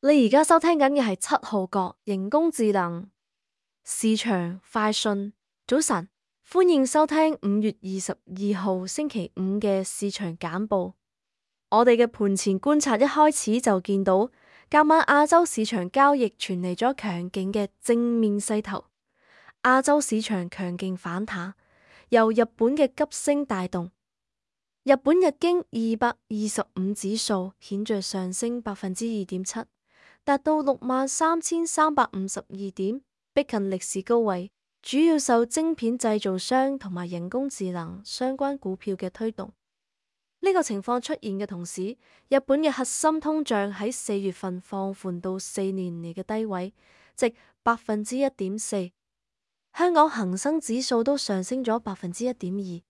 你而家收聽緊嘅係七號角人工智能市場快訊。早晨，歡迎收聽5月22號星期五嘅市場簡報。我哋嘅盤前觀察一開始就見到，今晚亞洲市場交易傳嚟咗強勁嘅正面勢頭。亞洲市場強勁反彈，由日本嘅急升帶動。日本日經225指數顯著上升2.7%。達到63,352點，逼近歷史高位，主要受晶片製造商同埋人工智能相關股票嘅推動。呢個情況出現嘅同時，日本嘅核心通脹喺4月份放緩到4年嚟嘅低位，值1.4%。香港恒生指數都上升咗1.2%，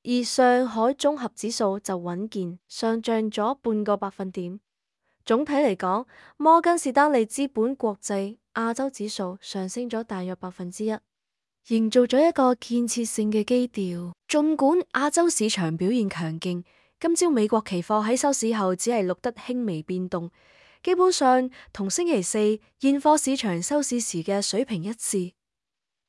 而上海綜合指數就穩健上漲咗半個百分點。總體嚟講，摩根士丹利資本國際亞洲指數上升咗大約1%，營造咗一個建設性嘅基調。盡管亞洲市場表現強勁，今朝美國期貨喺收市後只係錄得輕微變動，基本上同星期四現貨市場收市時嘅水平一致。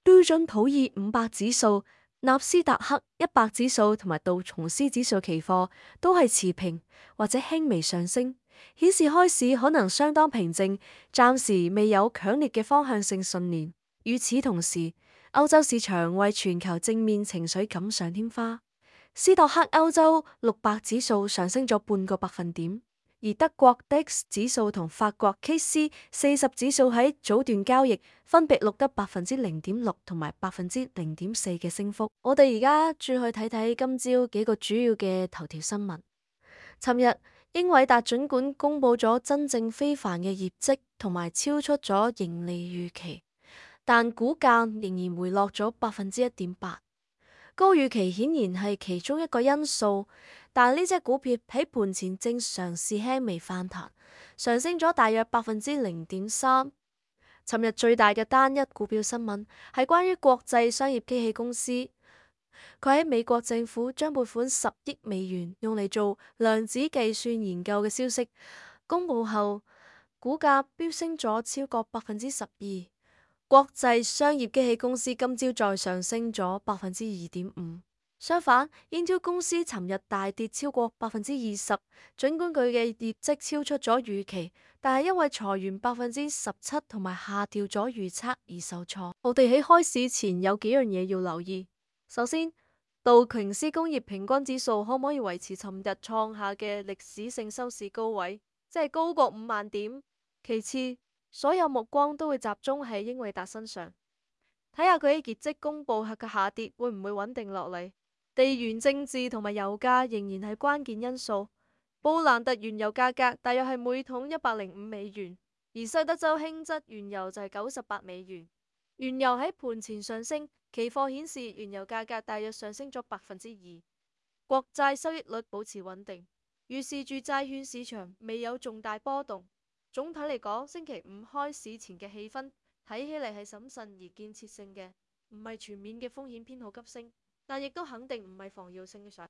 標準普爾500指數、納斯達克100指數同埋道瓊斯指數期貨都係持平或者輕微上升，顯示開市可能相當平靜，暫時未有強烈嘅方向性信念。與此同時，歐洲市場為全球正面情緒錦上添花，斯托克歐洲600指數上升咗半個百分點，而德國 DAX 指數同法國 CAC40指數喺早段交易分別錄得0.6%同埋0.4%嘅升幅。我哋而家轉去睇睇今朝幾個主要嘅頭條新聞。尋日，英偉達儘管公布咗真正非凡嘅業績同埋超出咗盈利預期，但股價仍然回落咗1.8%。高預期顯然係其中一個因素，但呢隻股票喺盤前正嘗試輕微反彈，上升咗大約0.3%。尋日最大嘅單一股票新聞係關於國際商業機器公司，佢喺美國政府將撥款10億美元用嚟做量子計算研究嘅消息公佈後，股價飆升咗超過12%。國際商業機器公司今朝再上升咗2.5%。相反，Intel 公司尋日大跌超過20%。儘管佢嘅業績超出咗預期，但係因為裁員17%同埋下調咗預測而受挫。我哋喺開市前有幾樣嘢要留意。首先，道瓊斯工業平均指數可唔可以維持尋日創下嘅歷史性收市高位，即係高過5萬點？其次，所有目光都會集中喺英偉達身上，睇下佢喺業績公布後嘅下跌會唔會穩定落嚟。地緣政治同埋油價仍然係關鍵因素。布蘭特原油價格大約係每桶105美元，而西德州輕質原油就係98美元。原油喺盤前上升，期貨顯示原油價格大約上升咗2%。國債收益率保持穩定，預示住債券市場未有重大波動。總體嚟講，星期五開市前嘅氣氛睇起嚟係審慎而建設性嘅，唔係全面嘅風險偏好急升，但亦都肯定唔係防御性嘅上。